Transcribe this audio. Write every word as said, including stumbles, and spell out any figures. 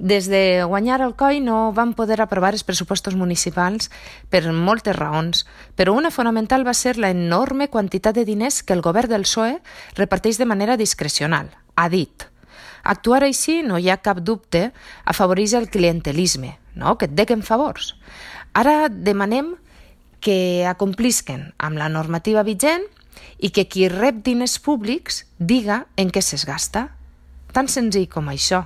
Des de guanyar el C O I no van poder aprovar els pressupostos municipals per moltes raons, però una fonamental va ser la enorme quantitat de diners que el govern del P S O E reparteix de manera discrecional, ha dit. Actuar així, no hi ha cap dubte, afavoreix el clientelisme, no? Que et dequen favors. Ara demanem que acomplisquen amb la normativa vigent i que qui rep diners públics diga en què se's gasta. Tan senzill com això.